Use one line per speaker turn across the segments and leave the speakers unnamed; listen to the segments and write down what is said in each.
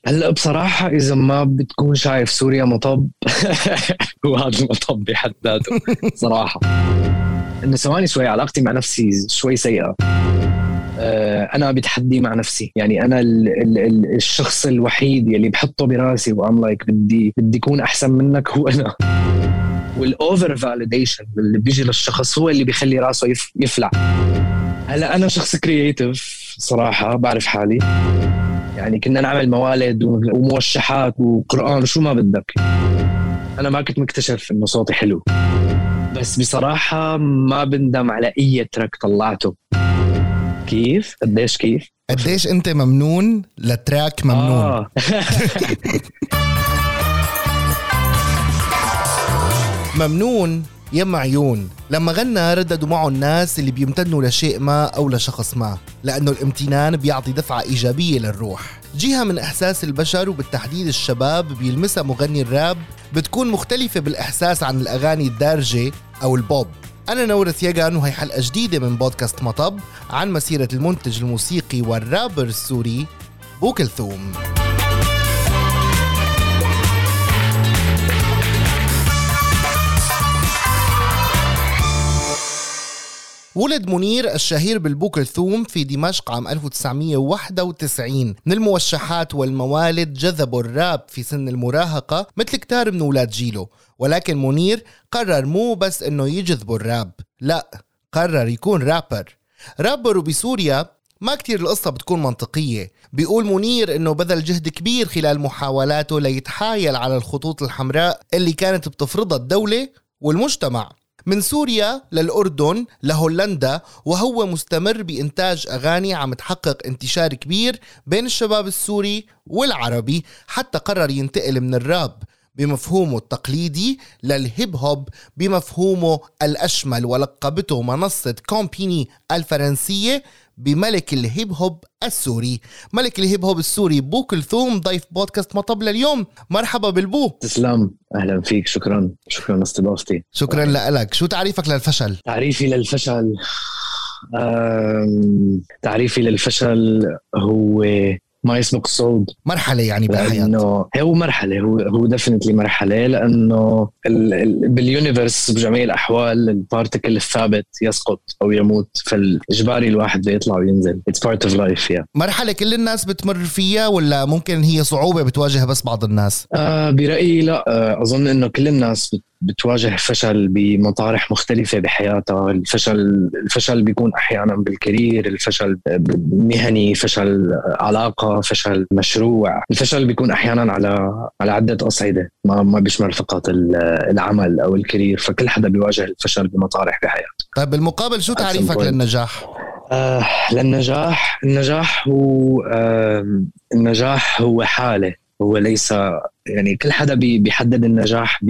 هلا بصراحة إذا ما بتكون شايف سوريا مطب وهذا المطب بحد ذاته صراحة. إنه ثواني شوي علاقتي مع نفسي شوي سيئة. أنا بتحدي مع نفسي، يعني أنا الشخص الوحيد يلي بحطه براسي وأم لايك بدي يكون أحسن منك هو أنا. والأوفر فاليديشن اللي بيجي للشخص هو اللي بيخلي راسه يفلع. هلا أنا شخص كرياتيف صراحة، بعرف حالي، يعني كنا نعمل موالد وموشحات وقرآن وشو ما بدك. أنا ما كنت مكتشف إنه صوتي حلو، بس بصراحة ما بندم على أي تراك طلعته. كيف؟ قديش
أنت ممنون لتراك ممنون. ممنون يم عيون لما غنى رددوا معه الناس اللي بيمتنوا لشيء ما أو لشخص ما، لأنه الامتنان بيعطي دفعة إيجابية للروح، جهة من إحساس البشر وبالتحديد الشباب بيلمسها مغني الراب بتكون مختلفة بالإحساس عن الأغاني الدارجة أو البوب. أنا نورث يغان وهي حلقة جديدة من بودكاست مطب عن مسيرة المنتج الموسيقي والرابر السوري بو كلثوم. ولد منير الشهير بالبو كلثوم في دمشق عام 1991. من الموشحات والموالد جذبوا الراب في سن المراهقة مثل كتار من أولاد جيله، ولكن منير قرر مو بس إنه يجذبوا الراب، لا، قرر يكون رابر. وبسوريا ما كتير القصة بتكون منطقية. بيقول منير إنه بذل جهد كبير خلال محاولاته ليتحايل على الخطوط الحمراء اللي كانت بتفرضها الدولة والمجتمع، من سوريا للأردن لهولندا، وهو مستمر بإنتاج أغاني عم تحقق انتشار كبير بين الشباب السوري والعربي، حتى قرر ينتقل من الراب بمفهومه التقليدي للهيب هوب بمفهومه الأشمل، ولقبته منصة كومبيني الفرنسية بملك الهيب هوب السوري. ملك الهيب هوب السوري بو كلثوم ضيف بودكاست مطب لليوم. مرحبا بالبو.
تسلم، أهلا فيك، شكرا لاستضافتي.
شكرا لك. شو تعريفك للفشل؟
تعريفي للفشل هو ما يسبق الصعود.
مرحلة يعني بالحياة.
هو مرحلة، هو ديفينتلي مرحلة، لأنه باليونيفرس بجميع الأحوال البارتيكل الثابت يسقط أو يموت، فالإجباري الواحد بيطلع وينزل. It's part of life.
مرحلة كل الناس بتمر فيها ولا ممكن هي صعوبة بتواجه بس بعض الناس؟
برأيي لا، أظن إنه كل الناس بتواجه فشل بمطارح مختلفة بحياتها. الفشل بيكون أحيانا بالكارير، الفشل مهني، فشل علاقة، فشل مشروع. الفشل بيكون أحيانا على عدة أصعدة، ما بيشمل فقط العمل أو الكارير، فكل حدا بيواجه الفشل بمطارح بحياته.
طيب بالمقابل شو تعريفك للنجاح؟
النجاح هو حالة، هو ليس يعني كل حدا بيحدد النجاح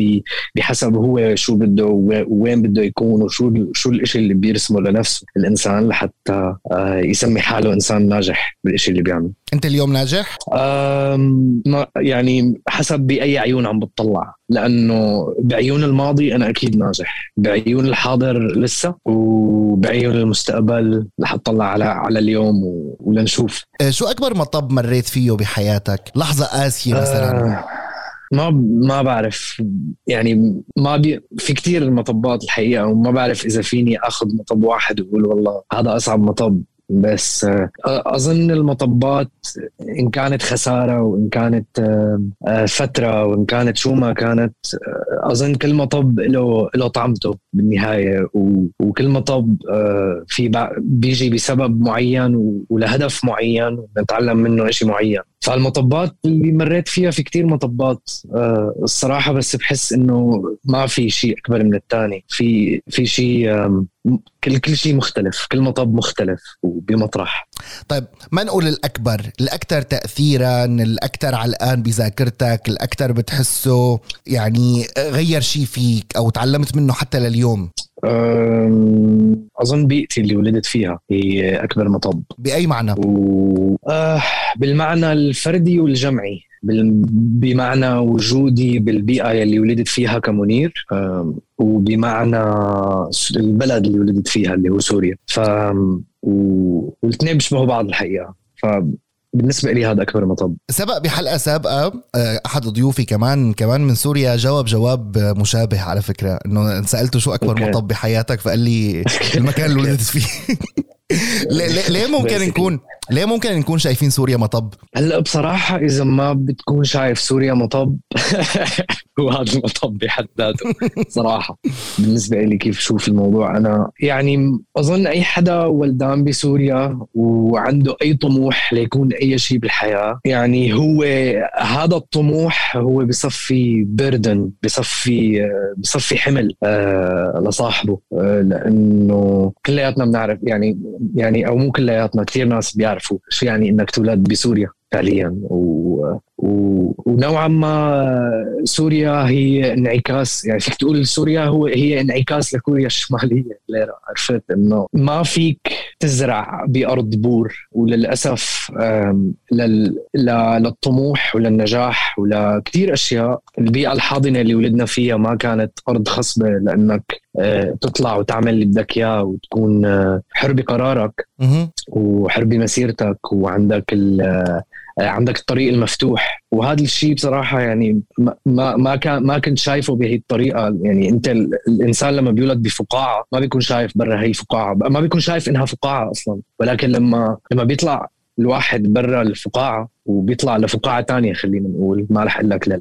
بحسب هو شو بده ووين بده يكون وشو الاشي اللي بيرسمه لنفسه الانسان لحتى يسمي حاله انسان ناجح بالاشي اللي بيعمل.
انت اليوم ناجح؟
يعني حسب باي عيون عم بتطلع، لانه بعيون الماضي انا اكيد ناجح، بعيون الحاضر لسه، وبعيون المستقبل رح اطلع على اليوم ولنشوف.
شو اكبر مطب مريت فيه بحياتك؟ لحظة قاسية مثلا؟
ما بعرف، يعني في كتير المطبات الحقيقة، وما بعرف إذا فيني أخذ مطب واحد وأقول والله هذا أصعب مطب. بس أظن المطبات إن كانت خسارة وإن كانت فترة وإن كانت شو ما كانت، أظن كل مطب له طعمته بالنهاية، وكل مطب بيجي بسبب معين ولهدف معين ونتعلم منه إشي معين. فالمطبات اللي مريت فيها في كتير مطبات الصراحة، بس بحس إنه ما في شيء أكبر من التاني. في شيء، كل شيء مختلف، كل مطب مختلف وبمطرح.
طيب ما نقول الأكثر تأثيرا، الأكثر علقان بذاكرتك، الأكثر بتحسه يعني غير شيء فيك أو تعلمت منه حتى لليوم؟
أظن بيئتي اللي ولدت فيها هي أكبر مطب.
بأي معنى؟
بالمعنى الفردي والجمعي، بمعنى وجودي بالبيئة اللي ولدت فيها كمنير، وبمعنى البلد اللي ولدت فيها اللي هو سوريا. والاثنين بيشبهوا بعض الحقيقة. بالنسبة لي هذا أكبر مطب.
سبق بحلقة سابقة أحد ضيوفي كمان من سوريا جواب مشابه على فكرة، إنه سألته شو أكبر مطب بحياتك فقال لي المكان اللي ولدت فيه. ليه ممكن نكون شايفين سوريا مطب؟
هلا بصراحة إذا ما بتكون شايف سوريا مطب هو هذا المطب بحد ذاته صراحة. بالنسبة لي كيف شوف الموضوع، أنا يعني أظن أي حدا ولدان بسوريا وعنده أي طموح ليكون أي شيء بالحياة، يعني هو هذا الطموح هو بصفي بردن، بصفي حمل لصاحبه، لأنه كلياتنا بنعرف يعني أو مو كلياتنا، كثير ناس بيعرفوا شو يعني إنك تولد بسوريا فعليا. ونوعا ما سوريا هي انعكاس، يعني فيك تقول سوريا هي انعكاس لكوريا الشمالية. عرفت إنه ما فيك تزرع بأرض بور، وللأسف للطموح وللنجاح ولكتير أشياء البيئة الحاضنة اللي ولدنا فيها ما كانت أرض خصبة لأنك تطلع وتعمل اللي بدك إياه وتكون حر بقرارك وحر بمسيرتك وعندك عندك الطريق المفتوح. وهذا الشيء بصراحة يعني ما كنت شايفه بهي الطريقة. يعني أنت الإنسان لما بيولد بفقاعة ما بيكون شايف برا هي الفقاعة، ما بيكون شايف إنها فقاعة أصلا، ولكن لما بيطلع الواحد برا الفقاعة وبيطلع لفقاعة تانية، خلينا نقول ما رح أقول لك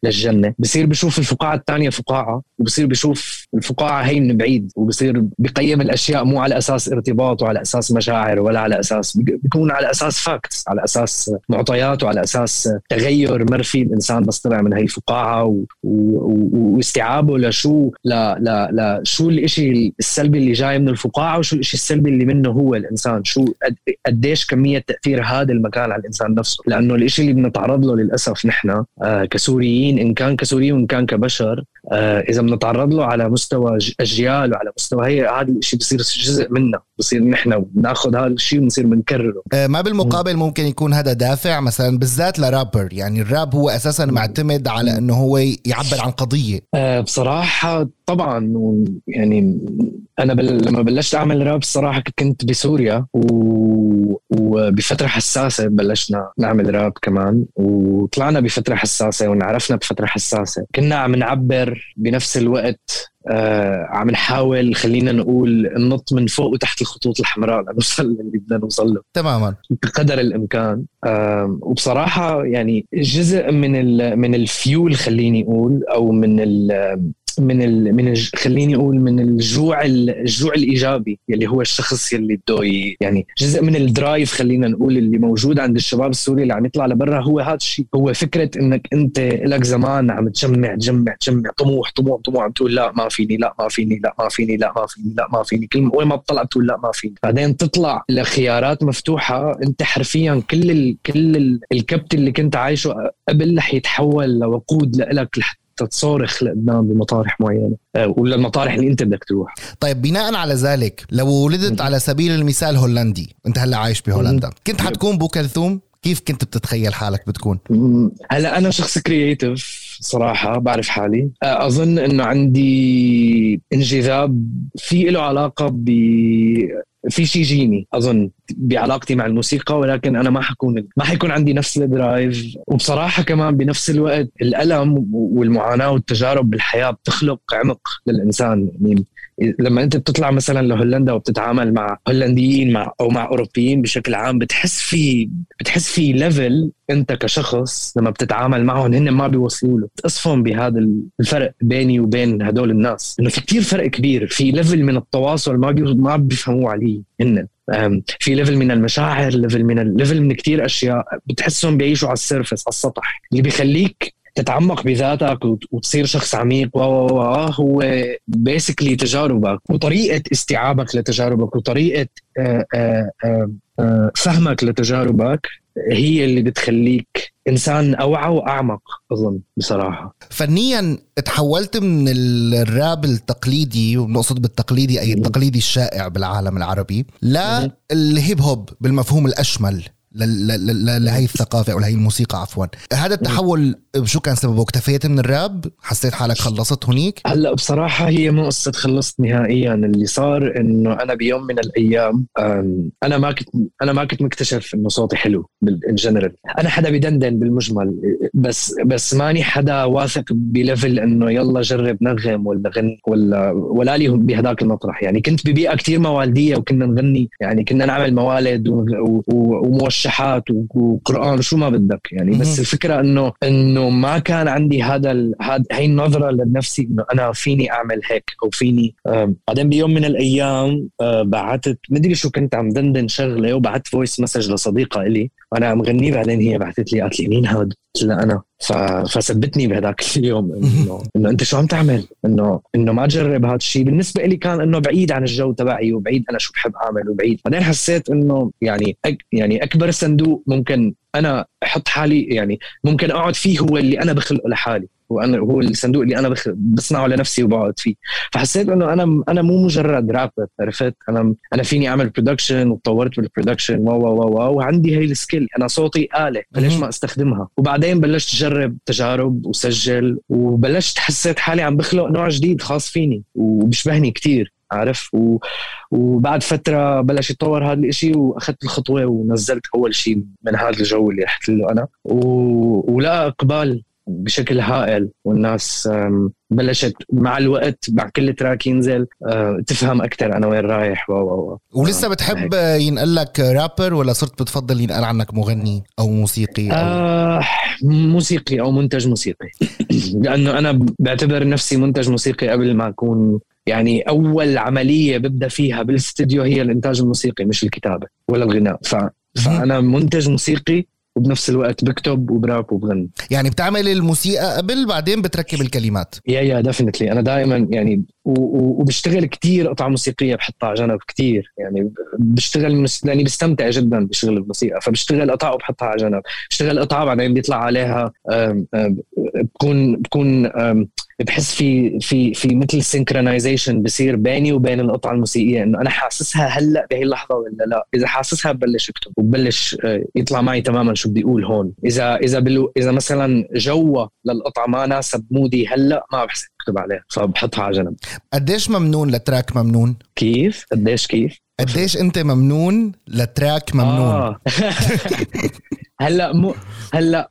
للجنة، بصير بيشوف الفقاعة التانية فقاعة، وبصير بيشوف الفقاعة هي من بعيد، وبصير بيقيم الأشياء مو على أساس ارتباط وعلى أساس مشاعر ولا على أساس، بيكون على أساس فاكتس، على أساس معطيات وعلى أساس تغير مرفي الإنسان بس طلع من هي الفقاعة واستيعابه لشو لا شو الإشي السلبي اللي جاي من الفقاعة وشو الإشي السلبي اللي منه هو الإنسان، شو قديش كمية تأثير هذا المكان على الإنسان نفسه. لأنه الإشي اللي بنتعرض له للأسف نحن كسوريين، إن كان كسوريين وإن كان كبشر، إذا بنتعرض له على مستوى أجيال وعلى مستوى هذا الإشي بصير جزء منا، بصير نحن بناخذ هذا الشيء ونصير بنكرره.
ما بالمقابل ممكن يكون هذا دافع مثلا بالذات لرابر، يعني الراب هو أساسا معتمد على أنه هو يعبر عن قضية.
بصراحة طبعا يعني أنا لما بلشت أعمل راب الصراحة كنت بسوريا وبفترة حساسة بلشنا نعمل راب كمان، وطلعنا بفترة حساسة ونعرفنا بفترة حساسة، كنا عم نعبر بنفس الوقت، عم نحاول خلينا نقول ننط من فوق وتحت الخطوط الحمراء لنوصل اللي بدنا نوصل له تماما بقدر الإمكان. وبصراحة يعني جزء من الفيول خليني أقول، أو خليني أقول من الجوع الإيجابي اللي هو الشخص اللي بده يعني جزء من الدرايف خلينا نقول اللي موجود عند الشباب السوري اللي عم يطلع لبرا، هو هذا الشيء، هو فكرة إنك أنت لك زمان عم تجمع طموح عم تقول لا ما فيني، لا ما فيني، لا ما فيني، لا ما فيني، لا ما فيني، كل وين ما بطلع بتقول لا ما فيني، بعدين تطلع لخيارات مفتوحة، أنت حرفيا كل الكبت اللي كنت عايشه قبل رح يتحول لوقود لك تتصارخ لقدام بمطارح معينة ولا المطارح اللي انت بدك تروح.
طيب بناء على ذلك لو ولدت على سبيل المثال هولندي، انت هلا عايش بهولندا، كنت حتكون بو كلثوم، كيف كنت بتتخيل حالك بتكون؟
هلا انا شخص كرياتيف صراحة، بعرف حالي، أظن أنه عندي انجذاب في له علاقة في شيء جيني أظن بعلاقتي مع الموسيقى، ولكن أنا ما حيكون عندي نفس الدرايف. وبصراحة كمان بنفس الوقت الألم والمعاناة والتجارب بالحياة بتخلق عمق للإنسان. يعني لما أنت بتطلع مثلا لهولندا وبتتعامل مع هولنديين أو مع أوروبيين بشكل عام، بتحس في ليفل أنت كشخص لما بتتعامل معهم هن ما بيوصلوا له. تصفهم بهذا الفرق بيني وبين هدول الناس، إنه في كتير فرق كبير، في ليفل من التواصل ما بيفهموا عليه هن، في ليفل من المشاعر، ليفل من كتير أشياء بتحسهم بيعيشوا على السيرفس، على السطح، اللي بيخليك تتعمق بذاتك وتصير شخص عميق. هو بيسكلي تجاربك وطريقة استيعابك لتجاربك وطريقة فهمك لتجاربك هي اللي بتخليك إنسان أوعى وأعمق أظن بصراحة.
فنيا تحولت من الراب التقليدي، ونقصد بالتقليدي أي التقليدي الشائع بالعالم العربي، للهيب هوب بالمفهوم الأشمل لهي الثقافة أو لهي الموسيقى عفوا. هذا التحول شو كان سببه؟ اكتفيت من الراب؟ حسيت حالك خلصت هنيك؟
هلا بصراحة هي مو قصة خلصت نهائيا. اللي صار إنه أنا بيوم من الأيام أنا ما كنت مكتشف إنه صوتي حلو بالجنرال. أنا حدا بيدندن بالمجمل، بس ماني حدا واثق بليفل إنه يلا جرب نغم ولا غن ولا لي بهداك المطرح. يعني كنت ببيئة كتير موالدية وكنا نغني، يعني كنا نعمل موالد وموشحات وقرآن وشو ما بدك يعني. بس الفكرة إنه ما كان عندي هاي النظرة لنفسي إنه أنا فيني أعمل هيك أو فيني. بعدين بيوم من الأيام بعتت مدري شو كنت عم دندن شغلة وبعت فويس مسج لصديقة إلي وأنا عم غني. بعدين هي بعتت لي قالت لي مين هاد؟ قلت لها أنا. فثبتني بهداك اليوم إنه أنت شو عم تعمل، إنه ما تجرب هذا الشيء. بالنسبة لي كان إنه بعيد عن الجو تبعي وبعيد أنا شو بحب أعمل وبعيد. بعدين حسيت إنه يعني أكبر صندوق ممكن أنا أحط حالي يعني ممكن أقعد فيه هو اللي أنا بخلقه لحالي، هو الصندوق اللي أنا بصنعه لنفسي وبقعد فيه. فحسيت إنه أنا مو مجرد رابر، عرفت؟ أنا فيني أعمل برودكشن وتطورت بالبرودكشن وعندي هاي السكيل. أنا صوتي آلة، ليش ما استخدمها؟ وبعدين بلشت أجرب تجارب وسجل وبلشت حسيت حالي عم بخلق نوع جديد خاص فيني وبشبهني كتير، عارف؟ وبعد فترة بلش يتطور هذا الاشي واخذت الخطوة ونزلت اول شيء من هذا الجو اللي رحت له انا ولا اقبال بشكل هائل. والناس بلشت مع الوقت مع كل تراك ينزل تفهم اكتر انا وين رايح.
ولسه بتحب ينقل لك رابر ولا صرت بتفضل ينقل عنك مغني او موسيقي أو
موسيقي او منتج موسيقي؟ لانه انا بعتبر نفسي منتج موسيقي قبل ما اكون يعني أول عملية ببدأ فيها بالاستديو هي الإنتاج الموسيقي مش الكتابة ولا الغناء. فأنا منتج موسيقي وبنفس الوقت بكتب وبراب وبغني.
يعني بتعمل الموسيقى قبل بعدين بتركب الكلمات؟
يا ديفينتلي. أنا دائما يعني وبشتغل كتير قطع موسيقية بحطها على جنب كتير. يعني بشتغل لأني بستمتع جدا بشغل الموسيقى، فبشتغل قطع وبحطها على جنب. بشتغل قطع بعدين بيطلع عليها بكون بحس في مثل سينكرونايزيشن بصير بيني وبين القطعة الموسيقية إنه أنا حاسسها هلأ بهي اللحظة ولا لا. إذا حاسسها ببلش أكتب وببلش يطلع معي تماما شو بدي أقول هون. إذا مثلا جوة للقطعة ما ناسب مودي هلأ ما بحس أكتب عليها فبحطها على جنب.
قديش ممنون لتراك ممنون؟
كيف
قديش أنت ممنون لتراك ممنون؟
هلأ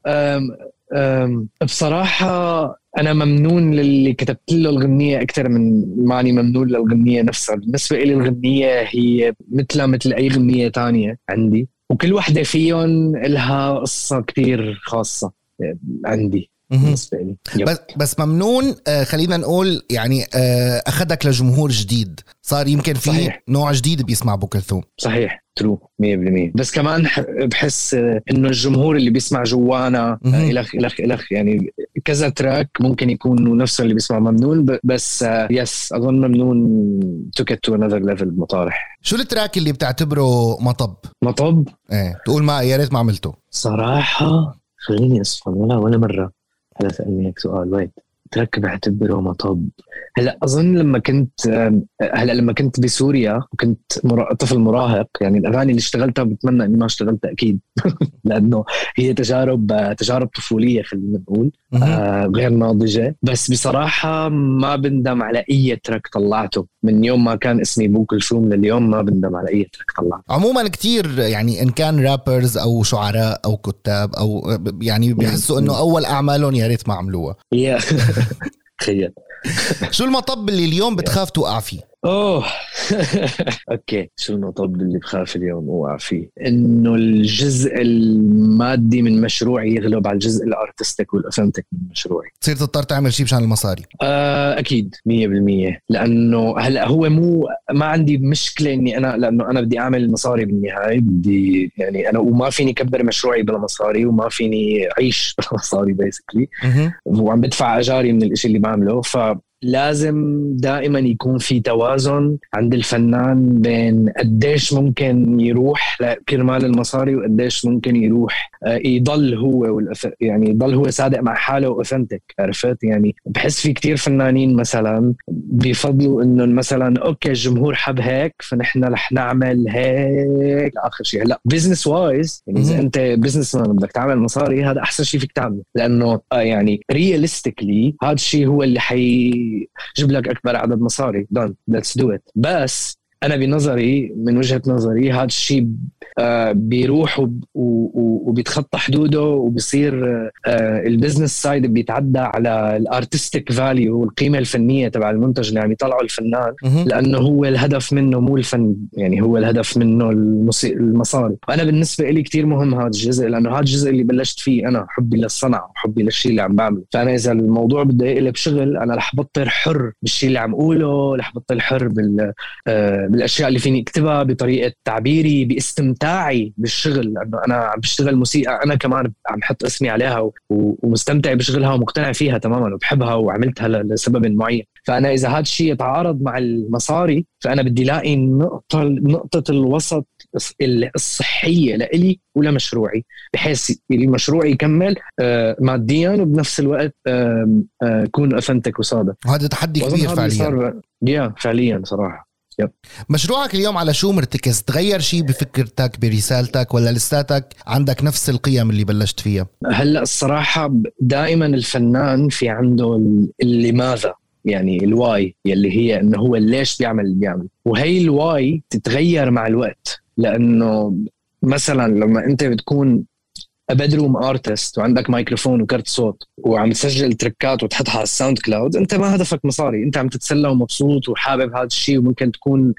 بصراحة أنا ممنون للي كتبت له الغنية أكتر من ماني ممنون للغنية نفسها. بالنسبة إلي الغنية هي مثل أي غنية تانية عندي، وكل واحدة فيهم لها قصة كتير خاصة عندي بالنسبة لي.
بس ممنون خلينا نقول يعني أخدك لجمهور جديد، صار يمكن في صحيح. نوع جديد بيسمع أبو كلثوم.
صحيح ترو 100%. بس كمان بحس إنه الجمهور اللي بيسمع جوانا إلخ يعني كذا تراك ممكن يكونوا نفسه اللي بيسمع ممنون. بس يس أظن ممنون took it to another level مطارح.
شو التراك اللي بتعتبره مطب؟ تقول ما يا ريت ما عملته؟
صراحة خليني أصفن ولا مرة هلا سألني هيك سؤال. وين ترك بعتبره مطب؟ هلا أظن لما كنت بسوريا وكنت طفل مراهق، يعني الأغاني اللي اشتغلتها بتمنى إني ما اشتغلتها أكيد لأنه هي تجارب طفولية خلينا نقول غير ناضجة. بس بصراحة ما بندم على أي ترك طلعته من يوم ما كان اسمي أبو كلثوم لليوم. ما بندم على أي ترك طلعته.
عموما كتير يعني إن كان رابرز أو شعراء أو كتاب أو يعني بيحسوا إنه أول أعمالهم يا ريت ما عملوها.
تخيل.
شو المطب اللي اليوم بتخاف توقع فيه؟
اوكي، شو المطب اللي بخاف اليوم اوقع فيه؟ انه الجزء المادي من مشروعي يغلب على الجزء الارتستيك والاوثنتيك من مشروعي.
تصير تضطر تعمل شيء مشان المصاري.
اكيد 100%. لانه هلا هو ما عندي مشكله اني لانه انا بدي اعمل مصاري بالنهايه. بدي يعني انا وما فيني كبر مشروعي بلا مصاري وما فيني اعيش بلا مصاري بيسكلي، وعم بدفع اجاري من الاشي اللي بعمله. لازم دائما يكون في توازن عند الفنان بين قديش ممكن يروح لكرمال المصاري وقديش ممكن يروح يضل هو يعني يضل هو صادق مع حاله واوثنتيك. عرفت يعني بحس في كتير فنانين مثلا بيفضلوا انه مثلا اوكي الجمهور حب هيك فنحن رح نعمل هيك لاخر شيء. هلا بزنس وايز يعني اذا انت بزنس مان بدك تعمل مصاري هذا احسن شيء فيك تعمله لانه يعني رياليستيكلي هذا الشيء هو اللي حيجيب لك اكبر عدد مصاري. دون ليتس دو ات. بس أنا بنظري من وجهة نظري هذا الشيء بيروح وبيتخطى حدوده وبيصير البزنس سايد بيتعدى على الارتستيك فاليو والقيمة الفنية تبع المنتج اللي عم يطلعه الفنان لأنه هو الهدف منه مو الفن يعني هو الهدف منه المصاري. وأنا بالنسبة لي كتير مهم هذا الجزء لأنه هذا الجزء اللي بلشت فيه أنا حبي للصنعة وحبي للشيء اللي عم بعمله. فأنا إذا الموضوع بده يقلب شغل أنا رح بطل حر بالشيء اللي عم أقوله رح بطل حر بالأشياء اللي فيني اكتبها بطريقة تعبيري باستمتاعي بالشغل لأنه أنا عم بشتغل موسيقى أنا كمان عم حط اسمي عليها ومستمتع بشغلها ومقتنع فيها تماما وبحبها وعملتها لسبب معين. فأنا إذا هذا الشيء يتعارض مع المصاري فأنا بدي لاقي نقطة الوسط الصحية لإلي ولمشروعي بحيث مشروعي يكمل ماديا وبنفس الوقت يكون أوثنتيك وصادق.
وهذا تحدي كبير فعليا.
فعليا صراحة.
مشروعك اليوم على شو مرتكز؟ تغير شيء بفكرتك برسالتك ولا لساتك عندك نفس القيم اللي بلشت فيها؟
هلأ الصراحة دائما الفنان في عنده لماذا يعني الواي يلي هي انه هو ليش بيعمل اللي بيعمل وهي الواي تتغير مع الوقت. لأنه مثلا لما انت بتكون بدروم ارتست وعندك مايكروفون وكرت صوت وعم تسجل تركات وتحطها على الساوند كلاود انت ما هدفك مصاري انت عم تتسلى ومبسوط وحابب هذا الشيء وممكن تكون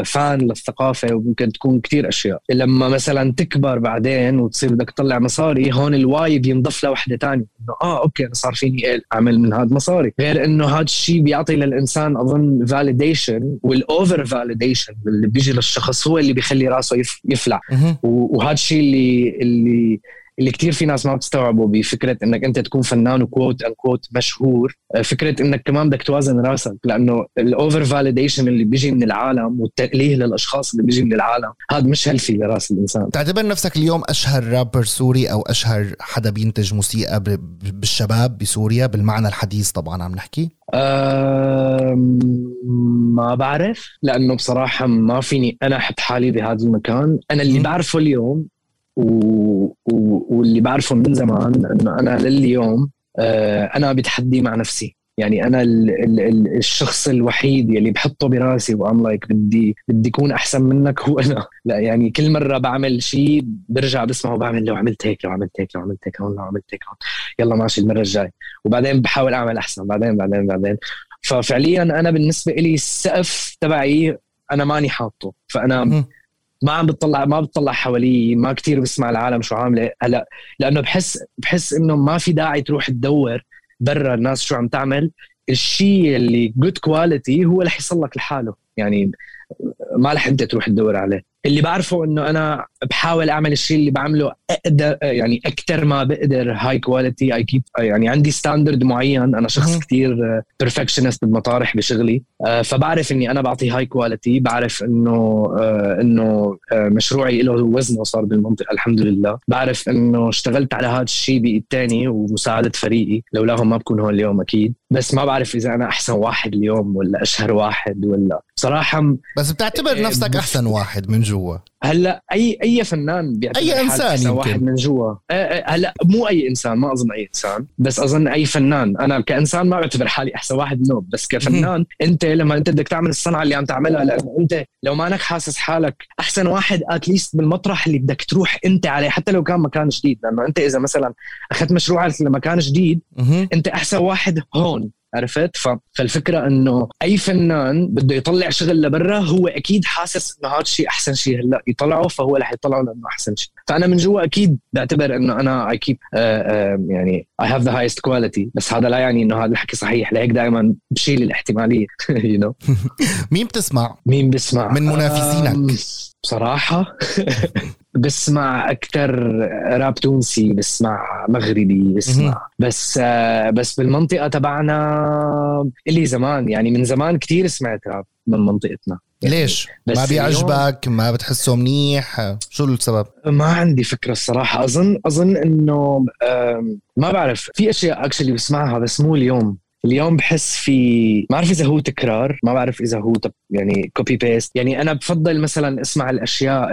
فان للثقافة وممكن تكون كتير أشياء. لما مثلا تكبر بعدين وتصير بدك تطلع مصاري هون الواي بينضف له وحدة تانية إنه أوكي أنا صار فيني أعمل من هذا مصاري. غير إنه هذا الشيء بيعطي للإنسان أظن validation والأوفر validation اللي بيجي للشخص هو اللي بيخلي راسه يفلع. وهذا الشيء اللي كتير في ناس ما بتستوعبوا بفكرة انك انت تكون فنان وكوت ان كوت مشهور. فكرة انك كمان بدك توازن راسك لانه الاوفر فاليديشن اللي بيجي من العالم والتأليه للاشخاص اللي بيجي من العالم هذا مش هلفي لراس الانسان.
تعتبر نفسك اليوم اشهر رابر سوري او اشهر حدا بينتج موسيقى بالشباب بسوريا بالمعنى الحديث طبعا عم نحكي؟
ما بعرف لانه بصراحة ما فيني انا احط حالي بهذا المكان. انا اللي بعرفه اليوم واللي بعرفه من زمان انه انا لليوم انا بتحدي مع نفسي. يعني انا الشخص الوحيد يلي بحطه براسي وام لايك بدي اكون احسن منك هو انا. لا يعني كل مره بعمل شيء برجع بسمعه وبعمل لو عملت هيك لو عملت هيك لو عملت هيك لو عملت هيك يلا ماشي المره الجاي وبعدين بحاول اعمل احسن بعدين. ففعليا انا بالنسبه لي السقف تبعي انا ماني حاطه. فانا ما بتطلع حوالي ما كتير بسمع العالم شو عامله هلا لانه بحس انه ما في داعي تروح تدور برا الناس شو عم تعمل. الشيء اللي good quality هو رح يصلك لحاله يعني ما رح انت تروح تدور عليه. اللي بعرفه انه انا بحاول اعمل الشيء اللي بعمله اقدر يعني اكتر ما بقدر هاي كواليتي. اي كيب يعني عندي ستاندرد معين. انا شخص كتير بيرفكشنست بالمطارح بشغلي. فبعرف اني انا بعطي هاي كواليتي. بعرف انه مشروعي له وزنه صار بالمنطقه الحمد لله. بعرف انه اشتغلت على هذا الشيء بايد تاني ومساعده فريقي لولاهم ما بكون هون اليوم اكيد. بس ما بعرف اذا انا احسن واحد اليوم ولا اشهر واحد ولا بصراحه.
بس بتعتبر نفسك احسن واحد من جوا؟
هلا اي فنان بيعتبر
اي انسان
واحد من جوا. هلا مو اي انسان ما اظن اي انسان بس اظن اي فنان. انا كانسان ما بعتبر حالي احسن واحد منه بس كفنان انت لما انت بدك تعمل الصنعه اللي عم تعملها لانه انت لو ما انك حاسس حالك احسن واحد اتليست بالمطرح اللي بدك تروح انت عليه حتى لو كان مكان جديد. لانه انت اذا مثلا اخذت مشروعك لمكان جديد انت احسن واحد هون. عرفت؟ فالفكرة انه اي فنان بده يطلع شغل لبرا هو اكيد حاسس انه هذا الشيء احسن شيء هلا يطلعه فهو رح يطلعه لانه احسن شيء. فانا من جوا اكيد بعتبر انه انا I keep يعني I have the highest quality. بس هذا لا يعني انه هذا الحكي صحيح. لهيك دائما بشيل الاحتمالية. you know.
مين بسمع من منافسينك؟
بصراحة بسمع أكتر راب تونسي بسمع مغربي بسمع بس بالمنطقة تبعنا اللي زمان يعني من زمان كتير سمعت راب من منطقتنا.
ليش؟ ما بيعجبك؟ ما بتحسه منيح؟ شو السبب؟
ما عندي فكرة الصراحة. أظن إنه ما بعرف، في أشياء أكشلي بسمعها بس مو اليوم بحس في، ما أعرف إذا هو تكرار، ما بعرف إذا هو يعني كوبي بيست. يعني أنا بفضل مثلا اسمع الأشياء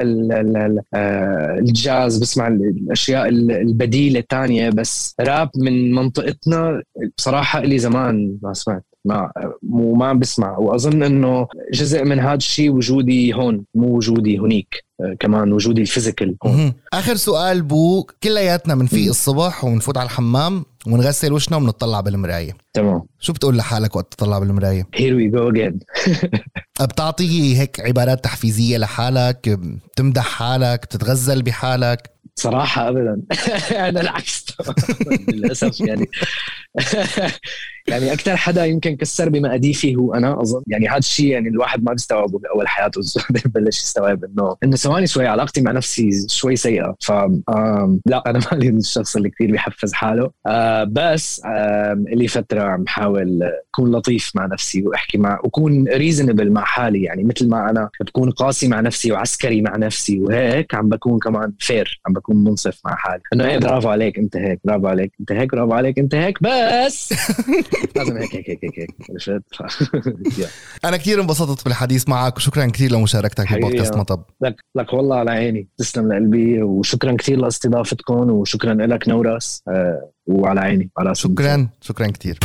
الجاز، بسمع الأشياء البديلة الثانية، بس راب من منطقتنا بصراحة إلي زمان ما سمعت، ما بسمع. وأظن إنه جزء من هذا الشيء وجودي هون، مو وجودي هنيك، كمان وجودي الفيزيكال هون.
آخر سؤال بو، كلياتنا منفيق الصبح ومنفوت على الحمام ونغسل وشنا ونطلع بالمراية،
تمام،
شو بتقول لحالك وقت تطلع بالمراية؟
Here we go again.
بتعطي هيك عبارات تحفيزية لحالك؟ بتمدح حالك؟ بتتغزل بحالك؟
صراحة أبدا. أنا العكس للأسف. يعني أكثر حدا يمكن كسر بمقاديفي هو أنا، أظن. يعني هذا الشيء يعني الواحد ما بيستوعبه بأول حياته، بلش يستوعب إنه ثواني شوي علاقتي مع نفسي شوي سيئة. لا أنا مالي الشخص اللي كثير بيحفز حاله، بس اللي فترة عم حاول أكون لطيف مع نفسي وأحكي وكون ريزنبل مع حالي. يعني مثل ما أنا بكون قاسي مع نفسي وعسكري مع نفسي وهيك، عم بكون كمان فير، عم بكون منصف مع حالي، إنه إيه برافو عليك أنت هيك، برافو عليك أنت هيك، برافو عليك أنت هيك، بس لازم هيك.
أنا كتير انبسطت بالحديث معك، وشكرا كتير لمشاركتك ببودكاست مطب.
لك والله على عيني، تسلم لقلبي، وشكرا كتير لاستضافتكم، وشكرا لك نورس، وعلى عيني على
شكرا كتير.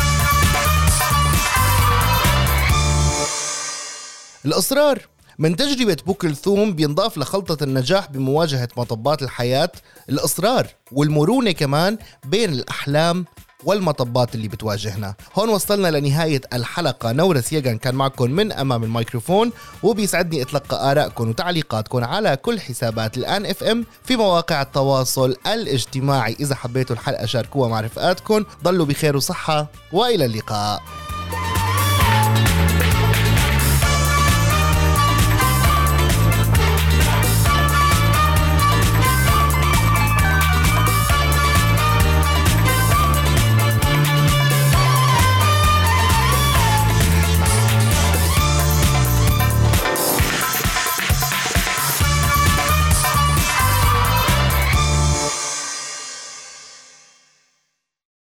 الإصرار من تجربة بو كلثوم بينضاف لخلطة النجاح بمواجهة مطبات الحياة الإصرار والمرونة كمان بين الأحلام والمطبات اللي بتواجهنا. هون وصلنا لنهاية الحلقة. نورس يغن كان معكم من أمام الميكروفون، وبيسعدني أتلقى آرائكم وتعليقاتكم على كل حسابات الآن اف ام في مواقع التواصل الاجتماعي. إذا حبيتوا الحلقة شاركوها مع رفقاتكم. ضلوا بخير وصحة، وإلى اللقاء.